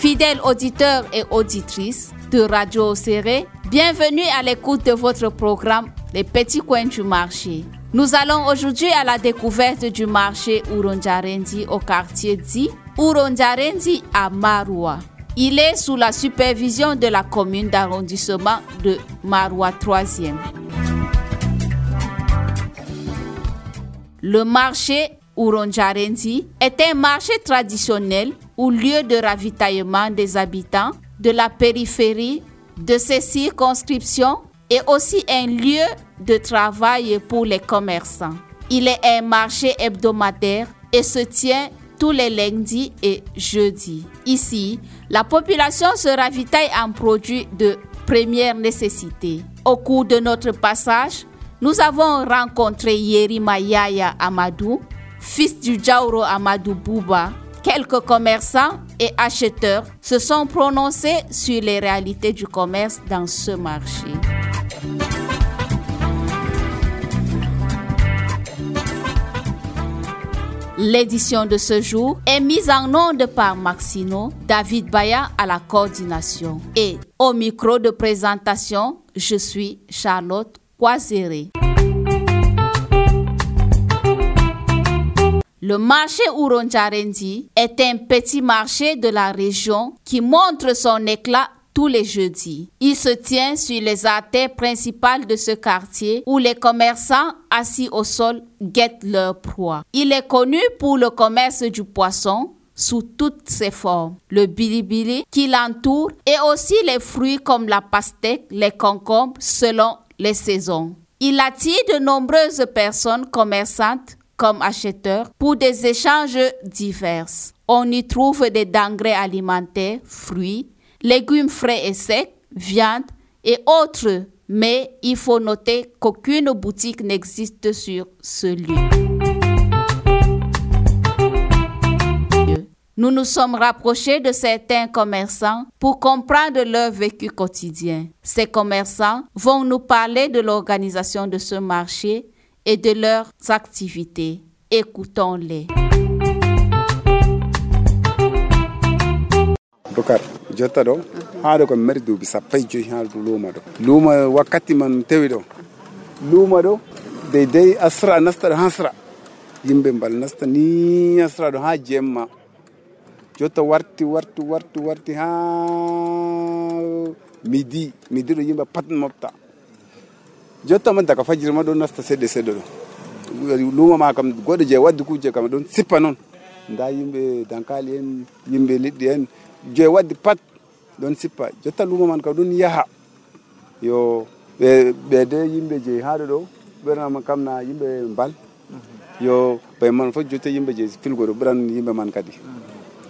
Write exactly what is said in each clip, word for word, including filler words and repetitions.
Fidèles auditeurs et auditrices de Radio Oséré, bienvenue à l'écoute de votre programme Les Petits Coins du Marché. Nous allons aujourd'hui à la découverte du marché Ourondiarendi au quartier dit Ourondiarendi à Maroua. Il est sous la supervision de la commune d'arrondissement de Maroua troisième. Le marché Ourondiarendi est un marché traditionnel ou lieu de ravitaillement des habitants de la périphérie de ces circonscriptions et aussi un lieu de travail pour les commerçants. Il est un marché hebdomadaire et se tient tous les lundis et jeudis. Ici, la population se ravitaille en produits de première nécessité. Au cours de notre passage, nous avons rencontré Yerima Yaya Amadou, fils du Djaouro Amadou Bouba. Quelques commerçants et acheteurs se sont prononcés sur les réalités du commerce dans ce marché. L'édition de ce jour est mise en onde par Maxino, David Baya à la coordination. Et au micro de présentation, je suis Charlotte Kwazere. Le marché Ourondiarendi est un petit marché de la région qui montre son éclat tous les jeudis. Il se tient sur les artères principales de ce quartier où les commerçants assis au sol guettent leur proie. Il est connu pour le commerce du poisson sous toutes ses formes, le bilibili qui l'entoure et aussi les fruits comme la pastèque, les concombres selon les saisons. Il attire de nombreuses personnes commerçantes comme acheteurs pour des échanges divers. On y trouve des denrées alimentaires, fruits, légumes frais et secs, viande et autres. Mais il faut noter qu'aucune boutique n'existe sur ce lieu. Nous nous sommes rapprochés de certains commerçants pour comprendre leur vécu quotidien. Ces commerçants vont nous parler de l'organisation de ce marché et de leurs activités. Écoutons-les. Bokar, jotta do haado ko mari duubi sappo e joyi haado luuma do luuma wakkati man tawi do luuma do dey dey asra nasta do hasra yimbe mbal nasta ni asra do ha jemma jotta warti warti warti warti ha midi midi do yimbe pat mofta jotta man daga fajiri ma do nasta sedde sedde do luuma ma kam godo je waddi kuje kam don sippa non nda yimbe dankali en yimbe liddi en je waddi pat don sippa jotta luuma man ka don yaha yo be be de yimbe je haado do berna man kam na yimbe mbal yo be man fo jotta yimbe je filgo do bran yimbe man kadi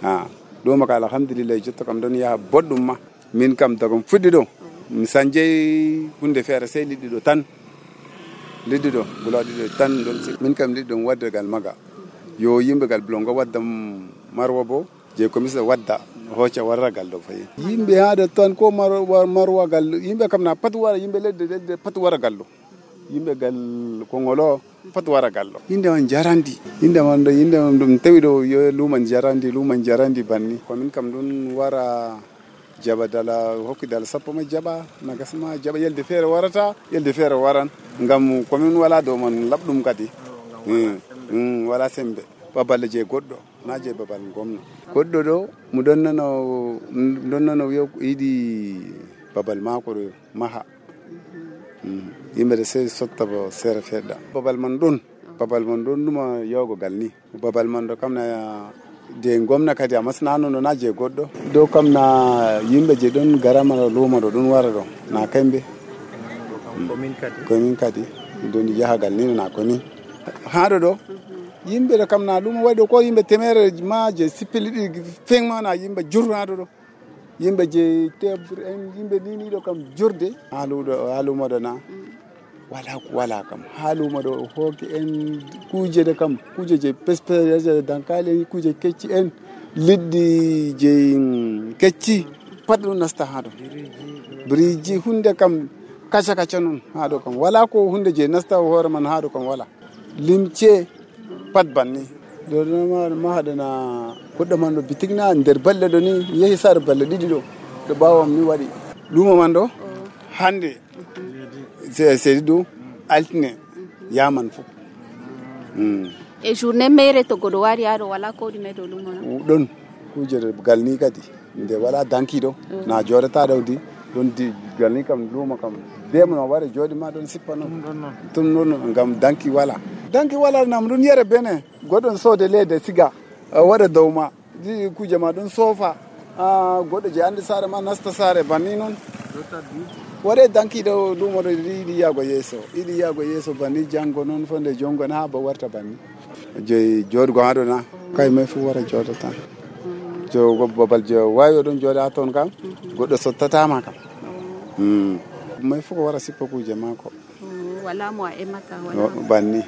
ha luuma ka alhamdulillah jotta kam don yaha boddum ma min kam dagom fuddi do mi sanje hunde fere sey liddi do tan liddi do buladi do tan don min kam liddi don wadda gal maga yo yimbe gal blongo waddam marwa bo je komisa wadda hoca warragal do fayi yimbe haada tan ko marwa marwa gal yimbe kam na pat wara yimbe ledde ledde pat wara gallo yimbe gal ko ngolo pat wara gallo inde on jarandi inde man do inde on dum tawi do yo luman jarandi luman jarandi banni ko min kam dun wara jaba dala hokki dala sappo ma jaba nagasma jaba yelde fere warata yelde fere waran ngam ko min wala do man labdum kadi mm wala sembe babal je goddo na je babal gomno goddo do mu donnano donnano yo idi babal mako do maha yimbe se sotta bo sere fedda babal man don babal man don duma yogo galni babal man do kamna de gomna kadi amasnano no naje goddo do kamna yimbe je don garama luma do don wara do na kambe komin kadi komin kadi don yahagal ni na komin haado do yimbe do kamna luma waydo ko yimbe temere ma je sipili fengma na yimbe jurnaado do yimbe je tebr en yimbe nini do kam jurde halu do halu modana wala wala kam halu modo hoki en kuje de kam kuje je pespe je dankale kuje kecci en liddi je kecci padu nasta hado briji hunde kam kacha kacha non hado kam wala ko hunde je nasta hore man hado kam wala limce pat banni do ma ma hadana kudda man do bitigna nder balle do ni yehi sar balle didi do do bawam ni wadi lumo man do hande c'est c'est do altine yaman fu mm e journée mere to godo wari ado wala ko di medo lumo don kujere galni kadi nde wala danki do na jorata dawdi don di galni kam lumo kam demno ware jodi ma don sippa non tum non ngam danki wala danki wala nam dun yere bene godon sode lede siga wada dawma di kuje ma don sofa a godo je andi sare ma nasta sare banni non ware danki do lumo do di yago yeso idi yago yeso banni jango non fonde jongo na ba warta banni je jodgo ado na kay me fu wara jodata jo go babal jo wayo don joda ton kam godo sottata ma kam mm mai fuko wara sippa kuje mako wala mo e mata wala banni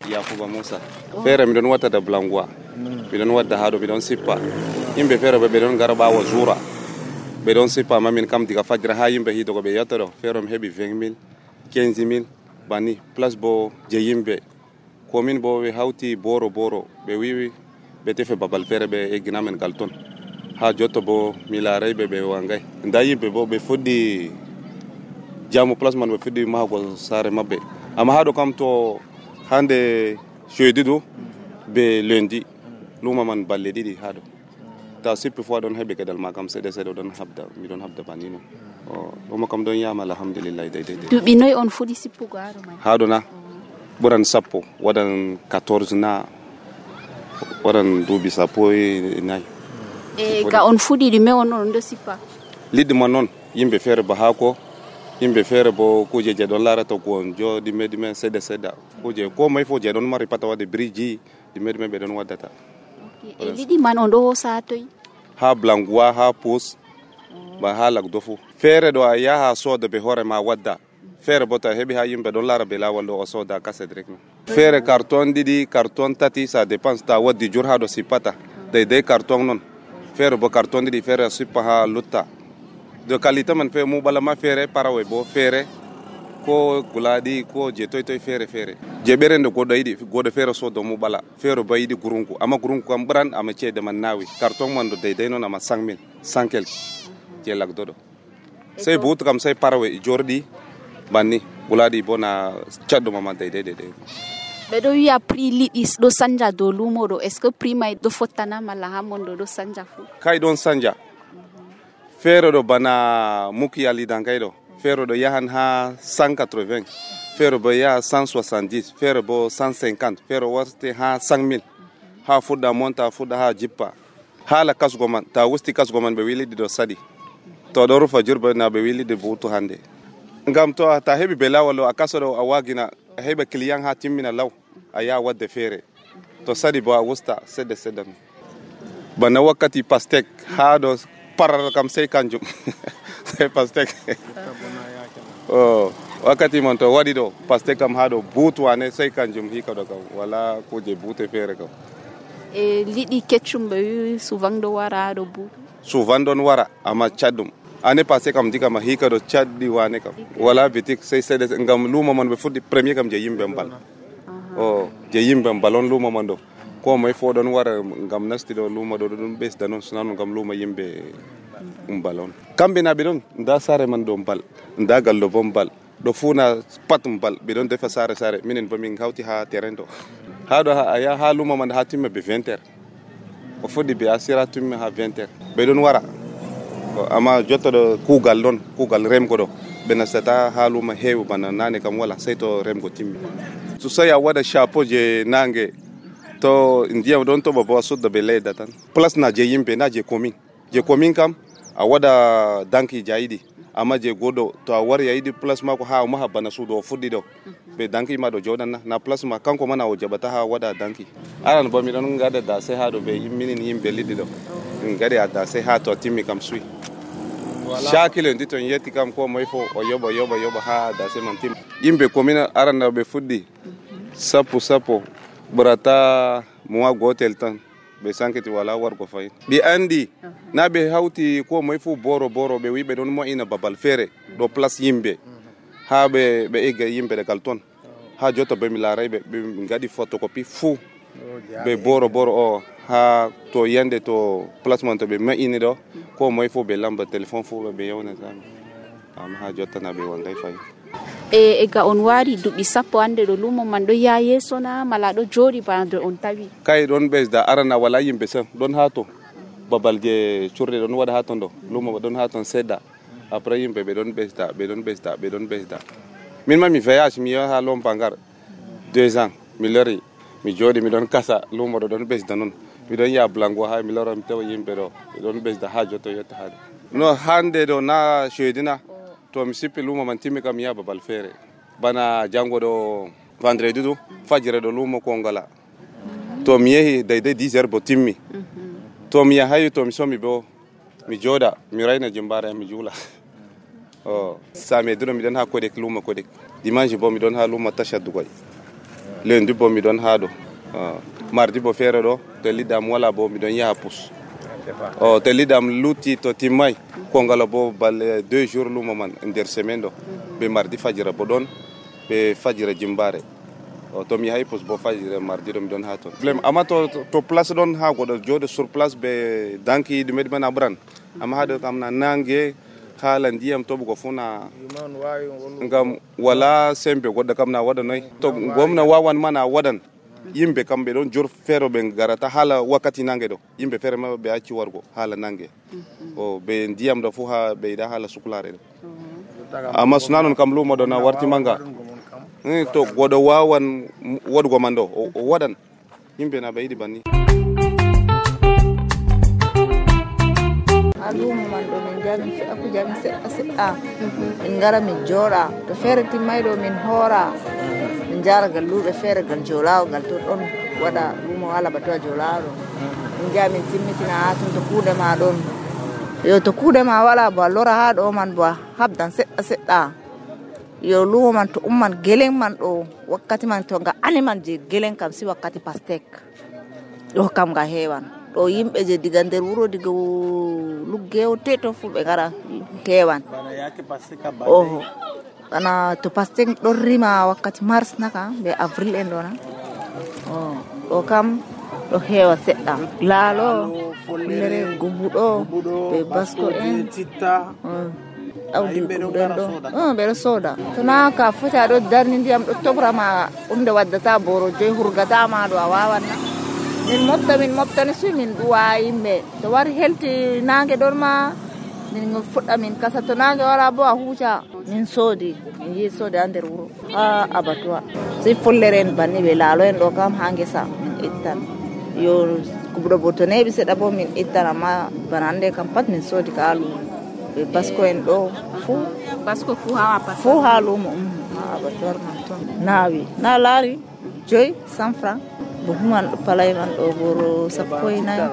Yakuba Musa fere mi don wata da blangwa mi don wadda hado mi don sippa yimbe fere be don garba wa zura be don sippa mamin kam diga fajra ha yimbe hito ko be yatoro fere mi hebi vingt mille quinze mille bani plus bo je yimbe komin bo we hauti boro boro be wiwi be tefe babal fere be e ginamen galton ha jotto bo mi laaray be be wangay nda yimbe bo be foddi jamu place man be foddi mago sare mabbe ama hado kam to hande jeudi do be lundi luma man balle didi hado ta sippi fo don hebe kedal makam sede sede don habda mi don habda banino o o makam don yama alhamdulillah dai dai dubi noy on fodi sippu go hado man hado na buran sappo wadan quatorze na wadan dubi sappo e nay e ga on fudi di me on on do sippa liddi man non yimbe fere ba hako yimbe fere bo kuje je don lara to ko jo di medi men sede seda kuje ko may fo je don mari pata wade bridge di medi men be don wadata e liddi man on do sa toy ha blangwa ha pos ba halak dofu fere do ya ha soda be hore ma wadda fere bota hebi ha yimbe don lara be lawal do soda kase direct fere carton didi carton tati ça dépense ta waddi jur ha do sipata dai dai carton non fere bo carton didi fere sipa ha lutta de qualité man fe mu bala ma fere parawe bo fere ko guladi ko je toy toy fere fere je berende ko daydi godo fere so do mu bala fere bayidi gurunku ama gurunku kam bran ama cede man nawi carton man do dey dey non ama cinq mille cent quelque je lak dodo sey bout kam sey parawe jordi banni guladi bona chaddo mama dey dey dey be do ya prix lidis do sanja do lumo do est ce que prix may do fotana mala ha mondo do sanja fu kay don sanja fere do bana muki ali dangay do fere do yahan ha cent quatre-vingts fere bo ya cent soixante-dix fere bo cent cinquante fere warte ha cinq mille ha fuda monta fuda ha jippa hala kasgoman ta wusti kasgoman be wili do sadi to do rufa jurba na be wili de butu hande ngam to ta hebi belawalo akasoro awagina hebe client ha timmina law aya wadde fere to sadi bo wusta sede sedan bana wakati pastek ha do parar kam sey kanjum sey pastek oh wakati man to wadi do pastek kam hado butu ane sey kanjum hika do kam wala ko je bute fere kam e lidi ketchum be souvent do wara do butu souvent don wara ama chadum ane passé kam diga ma hika do chaddi wane kam wala bitik sey sey ngam luma man be fuddi premier kam je yimbe mbal oh je yimbe balon luma man do ko may fo don wara ngam nasti do luma do dum bes danon sunan ngam luma yimbe um balon kambe na bidon nda sare man do bal nda gallo bombal do funa patum bal bidon defa sare sare minen bo min hawti ha terrain do ha do ha ya ha luma man ha timme be vingt heures o fodi be asira timme ha vingt heures be don wara ama jotto do kugal don kugal rem ko do bena seta ha luma heewu bana nane kam wala sayto rem go timmi so saya wada chapeau je nange to ndiya don to babo sudda be leda tan place na je yimbe na je commune je commune kam a wada danki jaidi amma je godo to a war yaidi place ma ko ha ma habana sudo fuddi do be danki ma do jodan na na place ma kanko mana o jabata ha wada danki aran bo mi don ngada da sai ha do be minin yimbe liddi do ngade ada sai ha to timmi kam sui shakile ndito yeti kam ko moy fo o yoba yoba yoba ha da sai man tim yimbe commune aran na be fuddi sapo sapo burata muwa gotel tan be sanketi wala war ko fay bi andi na be hawti ko moy fu boro boro be wibe don mo ina babal fere do place yimbe ha be be ega yimbe de kalton ha jotta be mi laaray ɓe ɓe ngaɗi photocopie fuu ɓe boro boro o ha to yande to placement to ɓe ma'ini ɗo ko moye fuu ɓe lamba téléphone fuu ɓe yewnatami amma ha jotta na ɓe wonday fayi. e ega on wari duɓi sappo hande ɗo lumo man ɗo ya yeeso na mala ɗo jooɗi bana do on tawi? Kay ɗon ɓesda arana wala yimɓe sam ɗon ha to babal je curɗe ɗon waɗa ha ton ɗo lumo ɗon ha ton seɗɗa après yimɓe ɓe ɗon ɓesda ɓe ɗon ɓesda ɓe ɗon ɓesda. Min ma mi voyage mi yaha ha Lompangar deux ans mi lori mi jooɗi mi ɗon kasa lumo ɗo ɗon ɓesda noon mi ɗon yaha Blango ha mi lora mi tawa yimɓe ɗo ɓe ɗon ɓesda ha jotta yetta hade no hande ɗo na jeudina to mi sippi lumo man timmi kam mi yaha babal feere bana jango ɗo vendredi ɗo fajire ɗo lumo ko ngala to mi yehi daydai dix heures bo timmi to mi yahayi to mi somi bo mi jooɗa mi rayna jimbare mi juula o samedi ɗo miɗon ha Kodek lumo Kodek dimanche bo miɗon ha lumo Tasha Dugoy lundi bo miɗon ha ɗo mardi bo feere ɗo to liɗɗam wala bo miɗon yaha Pous o to liɗɗam lutti to timmay ko ngala bo balle deux jours lumo man nder semaine ɗo ɓe mardi fajira bo ɗon ɓe fajira jimbare o to mi yahay Pous bo fajira mardi ɗo miɗon ha toon problème amma to to place ɗon ha goɗɗo jooɗo sur place ɓe danki ɗume ɗumen a ɓuran amma haɗo kam na nangue haala ndiyam toɓugo fuu na ngam wala sembe goɗɗo kam na waɗa noy to gomna wawan ma na waɗan yimɓe kam ɓe ɗon jor feere ɓe garata haala wakkati nangue ɗo yimɓe feere ma ɓe acci wargo haala nangue o ɓe ndiyam ɗo fuu ha ɓe yiɗa haala suklare ɗo amma sona noon kam lumo ɗo na warti manga to goɗo wawan waɗugo man ɗo o waɗan yimɓe na ɓe yiɗi banni. lumo man ɗo min jami aku jami seɗɗa seɗɗa min gara min jooɗa to feere timmay ɗo min hoora min jara galluɓe feere gal joolawo gal to ɗon waɗa lumo wala ba to a joolawo ɗo min jaa min timmitina ha ton to kuuɗe ma ɗon yo to kuuɗe ma wala bo a lora ha ɗo man bo a habdan seɗɗa seɗɗa yo lumo man to umman gelen man ɗo wakkati man to nga ani man je gelen kam si wakkati pastek ɗo kam nga heewan ɗo yimɓe je diga nder wuro diga luggewo teto fu ɓe gara kewan oho bana to pastek ɗon rima wakkati mars naka be avril en ɗona o ɗo kam ɗo heewa seɗɗa laalo fullere gubuɗo be basko en awdi gubuɗen ɗo ɓeɗo sooda to na ka foti aɗo darni ndiyam ɗo tobrama ɗumde waddata boro joyi hurgatama ɗo a wawanna min mofta min moftani su min ɗuwa yimɓe to wari helti nangue ɗon ma min fuɗɗa min kasa to nangue wala bo a huuca min soodi min yi soodi ha nder wuro ha abattoir si follere en banni ɓe laalo en ɗo kam ha guesa min ittan yo kuɓɗo bo to neeɓi seeɗa bo min ittan amma bana hande kam pat min soodi ka ha lumo ɓe basko en ɗo fuu basko fuu ha fuu ha lumo ha abattoir man toon naawi na laari joyi cent franc bo human ɗo palay man ɗo boro sappo e nayi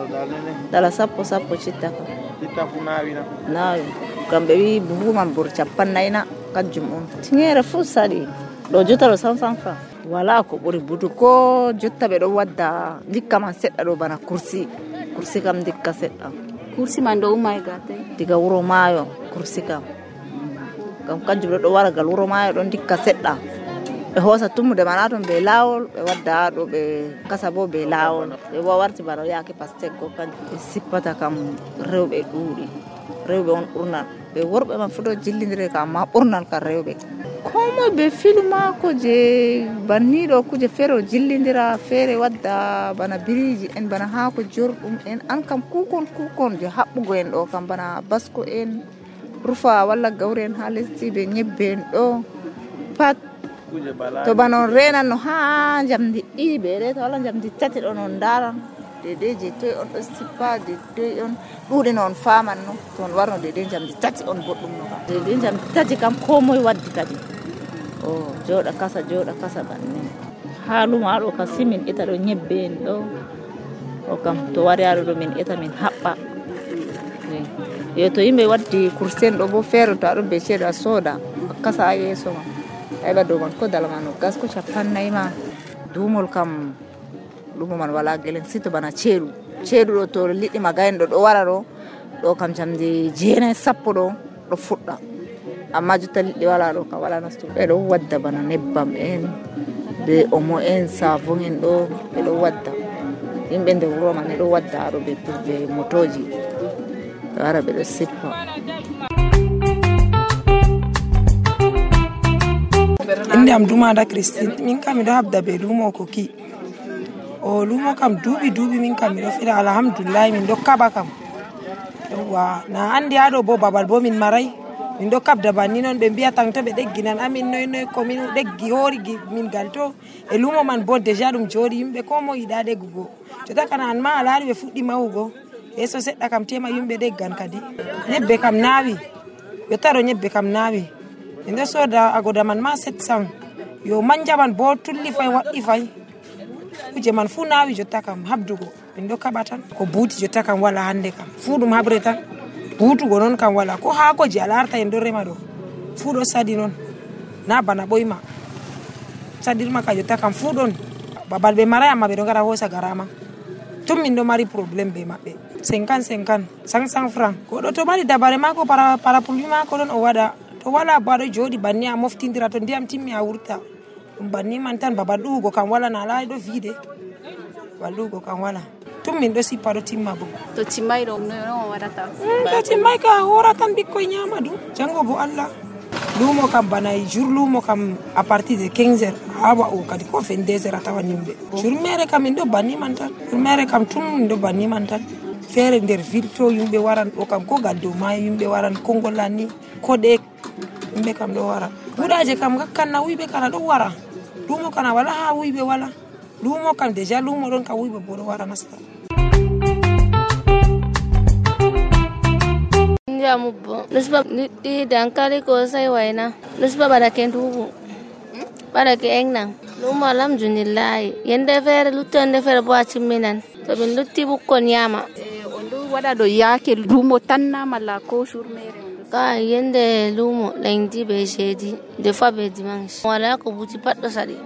dala sappo sappo citta kam citta fu naawina naawi kam ɓe wi buhu man boro capannayyi na kanjum on tiŋere fuu saɗi ɗo jotta ɗo cent cent franc wala ko ɓuri butu ko jotta ɓe ɗo wadda dikka man seɗɗa ɗo bana kursi kursi kam dikka seɗɗa kursi man ɗo umma e gatay diga wuro maayo kursi kam kam kanjum ɗo ɗo wara gal wuro maayo ɗon dikka seɗɗa ɓe hoosa tummude mana toon ɓe laawol ɓe wadda ɗo ɓe kasa bo ɓe laawol ɓe bo warti bana yaake pastek go kanjum ɓe sippata kam rewɓe ɗuuɗi rewɓe on ɓurnan ɓe worɓe man fu ɗo jillidire kam amma ɓurnan kam rewɓe komoye ɓe filu maako je banniɗo kuje feere o jillidira feere wadda bana biriji en bana haako jorɗum en an kam kukon kukon je haɓɓugo en ɗo kam bana basko en rufa walla gawri en ha lesdi ɓe ñebbe en ɗo pat to bana on renan no ha jamdi ɗiɗi ɓe reta walla jamdi tati ɗon on daran dedei je toy on ɗo sippa dedei on ɗuuɗi no on faman no to on warno dedei jamdi tati on boɗɗum no kam dedei jamdi tati kam ko moye waddi kadi o jooɗa kasa jooɗa kasa banni ha lumo haɗo kam si min ita ɗo ñebbe en ɗo o kam to wari haɗo ɗo min ita min haɓɓa yo to yimɓe waddi kursen ɗo bo feere to aɗon be ceeɗo a sooda kasa ha yeeso ma heɓa dow man ko dala ma no gas ko capannayyi ma duumol kam lumo man wala gelen sito bana ceeɗu ceeɗu ɗo to liɗɗi magayen ɗo ɗo wara ɗo ɗo kam jamdi jeenayi sappo ɗo ɗo fuɗɗa amma jotta liɗɗi wala ɗo kam wala nastu ɓeɗo wadda bana nebbam en be omo en savon en ɗo ɓe ɗo wadda yimɓe nder wuro man ɗo wadda aɗo ɓe ɓe motoji ɓe wara ɓe ɗo sippa. inde am Dumada Christine, min kam miɗo habda be lumo Koki. o lumo kam duuɓi duuɓi min kam miɗo fiɗa alhamdulillah min ɗo kaɓa kam. Yawwa na andi haɗo bo babal bo min maray min ɗo kabda banni noon ɓe mbiya tan to ɓe ɗegginan amin noy noy ko min ɗeggi hoori min gal to e lumo man bo déjà ɗum jooɗi yimɓe ko mo yiɗa ɗeggugo jota kana an ma a laari ɓe fuɗɗi mahugo yeeso seɗɗa kam tema yimɓe ɗeggan kadi. Ñebbe kam naawi ɓe taro ñebbe kam naawi min ɗo sooda agoda man ma sept cent yo manja man bo tulli fay waɗɗi fay kuje man fuu naawi jotta kam habdugo min ɗo kaɓa tan ko buuti jotta kam wala hande kam fuu ɗum habre tan buutugo noon kam wala ko haakoji a larta en ɗo rema ɗo fuu ɗo sadi noon na bana ɓoyma sadirma ka jotta kam fuu ɗon babal ɓe maray amma ɓe ɗo gara hoosa garama tun min ɗo mari probléme be maɓɓe cinquante cinquante cent cent franc ko ɗo to mari dabare mako para parapluie mako ɗon o waɗa to wala bo aɗo jooɗi banni a moftindira to ndiyam timmi a wurta ɗum banni man tan babal ɗuwugo kam wala na laari ɗo viide babal ɗuwugo kam wala tun min ɗo sippa ɗo timma bo to timmay ɗo no waɗata to timmay ka hora tan ɓikkoy ñama ɗum jango bo Allah. Lumo kam bana jour lumo kam à partir de quinze heures ha wa'o kadi ko vingt-deux heures a tawan yimɓe jour mere kam min ɗo banni man tan jour mere kam tun min ɗo banni man tan feere nder ville to yimɓe waran ɗo kam ko gal dow maayo yimɓe waran kongola ni koɗe yimɓe kam ɗo wara buɗaje kam gakkanna wuyɓe kana ɗo wara lumo kana wala ha wuyɓe wala lumo kam déjà lumo ɗon ka wuyɓe bo ɗo wara nasta. Mubbo nusba liɗɗi dankali ko sai waina nusba baɗa ke ndubu baɗa ke engnan lumo alhamdulillahi yende feere luttonde feere bo a timminan to min lutti bukkon yama on ɗo waɗa ɗo yaake lumo tan na malla ko jour mere ka yende lumo lundi be jeudi des fois be dimanche wala ko buti pat ɗo saɗi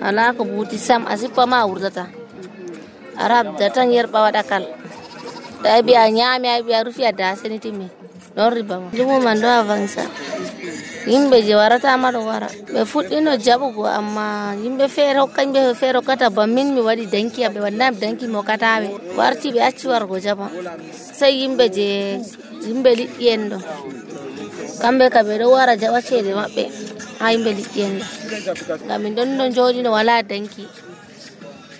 ala ko buti sam a sippa ma a wurdata a rabda tan yerɓa waɗa kal da bi a nyami a bi a rufi a daseni timmi non riba ma lumo man do avansa yimɓe je warata ma ɗo wara ɓe fuɗɗino jaɓugo amma yimɓe feere hokkaɓe feere hokkata ba min mi waɗi danki ɓe waɗnami danki mi hokkataɓe warti ɓe acci wargo jaɓa sai yimɓe je yimɓe liɗɗi en ɗo kamɓe ka ɓe ɗo wara jaɓa ceede maɓɓe ha yimɓe liɗɗi en ɗo ngam min ɗon ɗo jooɗino wala danki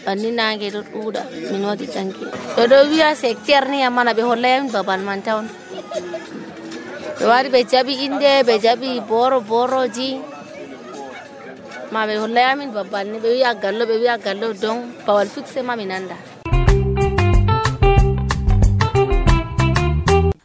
banni nange ɗo ɗuuɗa min waɗi danki ɓe ɗo wiya secteur ni amana ɓe hollayamin babal man tawn ɓe wari ɓe jaɓi inde ɓe jaɓi boro boroji ma ɓe hollayamin babal ni ɓe wiya gallo ɓe wiya gallo donc babal fixe ma mi nanda.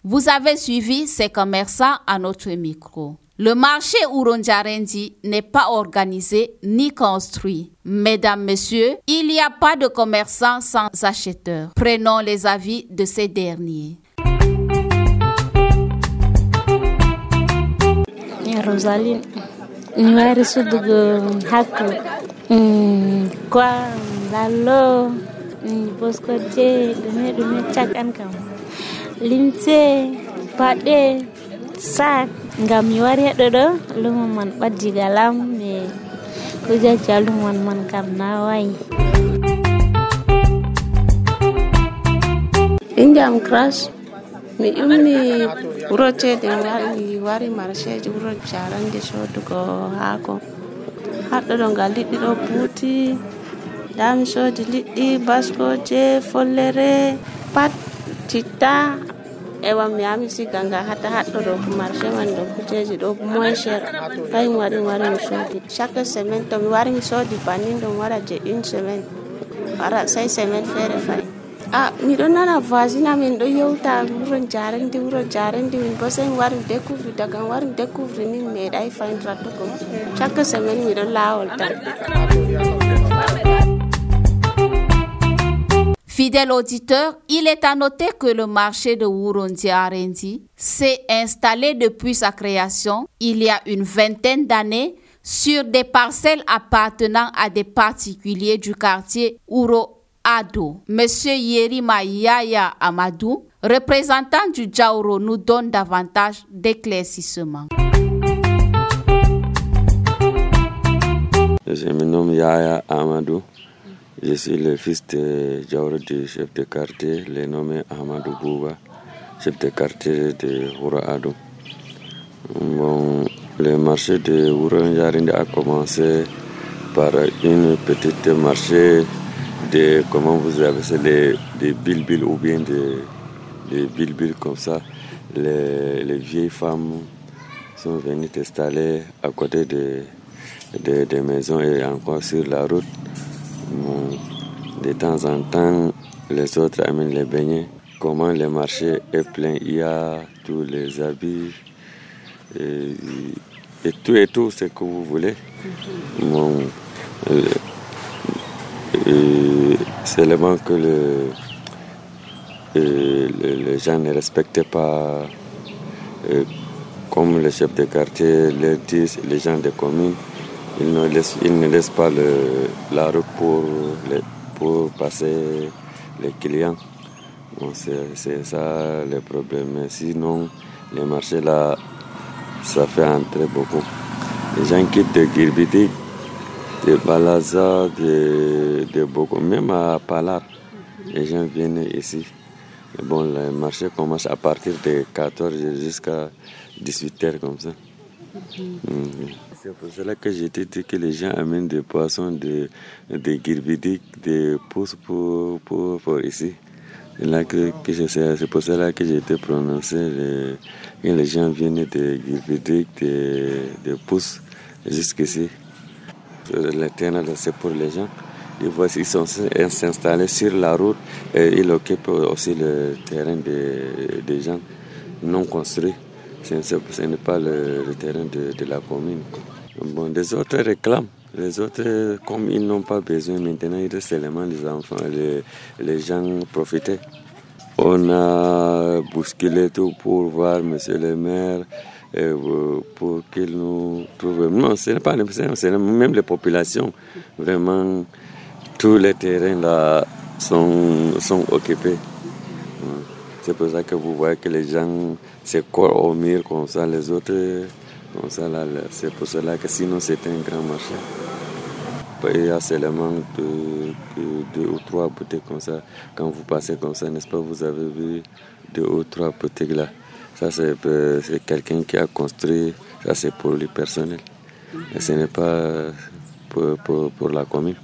Vous avez suivi ces commerçants à notre micro. Le marché Ourondiarendi n'est pas organisé ni construit. Mesdames, Messieurs, il n'y a pas de commerçants sans acheteurs. Prenons les avis de ces derniers. Rosaline, ñu wari suddugo hakku quoi lallo boskoje ɗume ɗume cakan kam limse paɗe sac ngam mi wari heɗo ɗo lumo man ɓaddi galam e kujeji a lumo man kam na wayi. Inde am Crash mi ummi wuro ceede wari wari marché wuro Jarande sodugo haako haɗɗo ɗo ngal liɗɗi ɗo buuti nda mi soodi liɗɗi baskoje follere pat citta ewa mi ami siga nga hata haɗɗo ɗo marché man ɗo kujeji ɗo moins cher kay mi wari mi wari mi soodi chaque semaine to mi wari mi soodi bannin ɗum waɗa je une semaine wara sai semaine feere fay ah miɗo nana voisine amin ɗo yewta wuro Jarandi wuro Jarandi min bo sai mi wari mi découvre daga mi wari mi découvre ni mi meeɗay fayndirata ko chaque semaine miɗo laawol tan. Fidèle auditeur, il est à noter que le marché de Ourondiarendi s'est installé depuis sa création il y a une vingtaine d'années sur des parcelles appartenant à des particuliers du quartier Ouro Ado. Monsieur Yerima Yaya Amadou, représentant du Djaouro, nous donne davantage d'éclaircissements. Je me nomme Yaya Amadou. Je suis le fils de Diawara, du chef de quartier, le nommé Amadou Bouba, chef de quartier de Wuro Ado. Bon, le marché de Wuro Njarinde a commencé par une petite marché de, comment vous avez c'est les, des bilbil ou bien des, des bilbil comme ça. Les, les vieilles femmes sont venues s'installer à côté de, de, des maisons et encore sur la route. Bon, de temps en temps, les autres amènent les beignets. Comment le marché est plein, il y a tous les habits et, et tout et tout ce que vous voulez. Bon, euh, euh, seulement que le, euh, le, les gens ne respectaient pas, euh, comme le chef de quartier le dit, les gens des communes, ils ne laissent, ils ne laissent pas le, la route pour, les, pour passer les clients. Bon, c'est, c'est ça le problème. Mais sinon, les marchés là, ça fait entrer beaucoup. Les gens quittent de Girbidik, de Balaza, de, de beaucoup, même à Palar, les gens viennent ici. Mais bon, le marché commence à partir de quatorze heures jusqu'à dix-huit heures comme ça. Mm-hmm. C'est pour cela que j'ai dit que les gens amènent des poissons de, de Girbidik, des pousses pour, pour, pour ici. Et là que, que je sais, c'est pour cela que j'ai été prononcé. Les, les gens viennent de Girbidik, de, de pousses jusqu'ici. Le terrain, c'est pour les gens. Ils, voient, ils sont installés sur la route et ils occupent aussi le terrain des, des gens non construits. Ce, ce n'est pas le, le terrain de, de la commune. Bon, les autres réclament. Les autres, comme ils n'ont pas besoin maintenant, ils restent seulement les enfants, les, les gens profiter. On a bousculé tout pour voir monsieur le maire, et pour qu'il nous trouve. Non, ce n'est pas c'est même les populations. Vraiment, tous les terrains là sont, sont occupés. C'est pour ça que vous voyez que les gens se collent au mur comme ça, les autres, comme ça là. C'est pour cela que sinon c'était un grand marché. Il y a seulement deux, deux, deux ou trois boutiques comme ça. Quand vous passez comme ça, n'est-ce pas, vous avez vu deux ou trois boutiques là. Ça, c'est, c'est quelqu'un qui a construit, ça c'est pour le personnel. Et ce n'est pas pour, pour, pour la commune.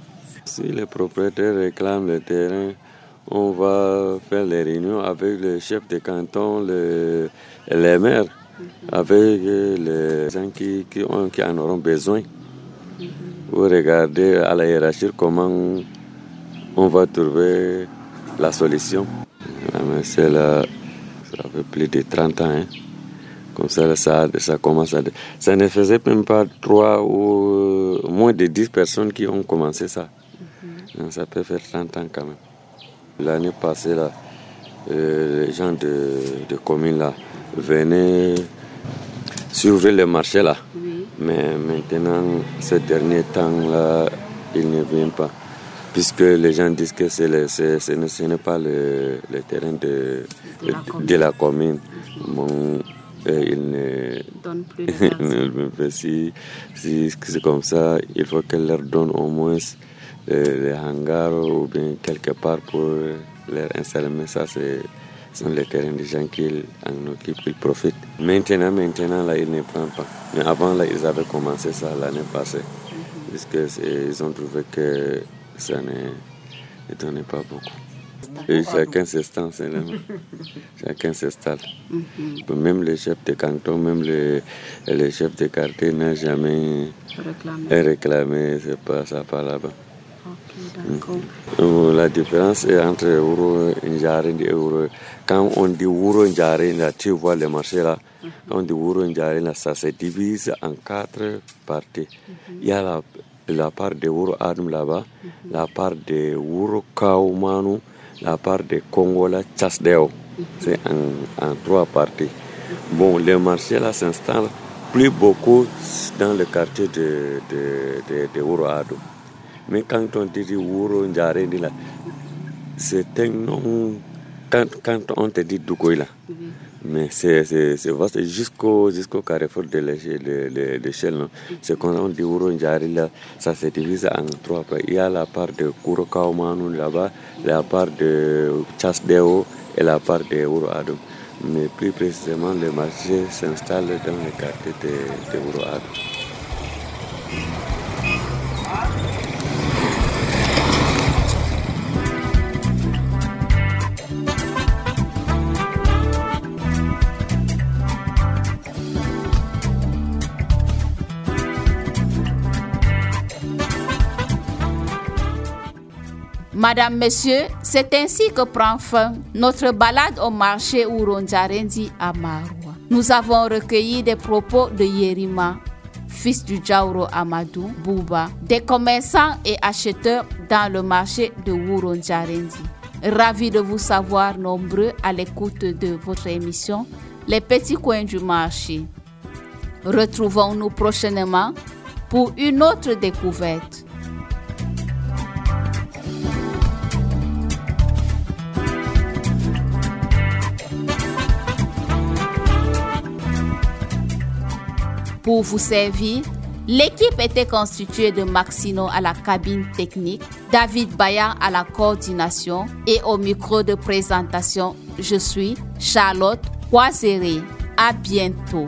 Si les propriétaires réclament le terrain, on va faire les réunions avec le chef de canton, le, les maires, avec les gens qui, qui, ont, qui en auront besoin. Pour regarder à la hiérarchie comment on va trouver la solution. C'est là, ça fait plus de trente ans. Hein. Comme ça, ça, ça commence à... Ça ne faisait même pas trois ou moins de dix personnes qui ont commencé ça. Mm-hmm. Ça peut faire trente ans quand même. L'année passée, là, euh, les gens de, de commune là, venaient s'ouvrir le marché là. Oui. Mais maintenant, ces derniers temps-là, ils ne viennent pas. Puisque les gens disent que c'est le, c'est, ce n'est pas le, le terrain de, de, la, de, de la commune. Bon, et ils ne donnent plus de si, si c'est comme ça, il faut qu'elle leur donne au moins les hangars ou bien quelque part pour leur installer. Mais ça, c'est sont les terrains des gens qui en occupent, ils profitent. Maintenant, maintenant, là, ils ne prennent pas. Mais avant, là, ils avaient commencé ça l'année passée. Mm-hmm. Puisqu'ils ont trouvé que ça ne, ne donnait pas beaucoup. Et chacun s'installe, chacun s'installe. Mm-hmm. Même les chefs de canton, même les, les chefs de quartier n'ont jamais réclamé. réclamé, c'est pas ça par là-bas. Okay, la différence est entre Wuro Njarinde et Wuro. Quand on dit Wuro Njarinde, tu vois le marché là. Uh-huh. Quand on dit Wuro Njarinde, ça se divise en quatre parties. Uh-huh. Il y a la, la part de Wuro Adum là-bas, uh-huh. la part de Wuro Kaumanu, la part de Kongola Chasdeo. Uh-huh. C'est en, en trois parties. Uh-huh. Bon, le marché là s'installe plus beaucoup dans le quartier de, de, de, de Wuro Adum. Mais quand on dit Wuro Njarinde là, c'est un nom. Quand, quand on te dit Dougoïla, mm-hmm. Mais c'est, c'est, c'est vaste jusqu'au, jusqu'au carrefour de l'échelle. De, de, de l'échelle c'est quand on dit Wuronjari, là, ça se divise en trois parts. Il y a la part de Kurokaumanu là-bas, la part de Chasdeo et la part de Wuro Adum. Mais plus précisément, le marché s'installe dans le quartier de, de Wuro Adum. Madame, Monsieur, c'est ainsi que prend fin notre balade au marché Wuronjarendi à Maroua. Nous avons recueilli des propos de Yerima, fils du Jauro Amadou Bouba, des commerçants et acheteurs dans le marché de Wuronjarendi. Ravi de vous savoir nombreux à l'écoute de votre émission Les petits coins du marché. Retrouvons-nous prochainement pour une autre découverte. Pour vous servir, l'équipe était constituée de Maxino à la cabine technique, David Bayan à la coordination et au micro de présentation, je suis Charlotte Poiséré. À bientôt.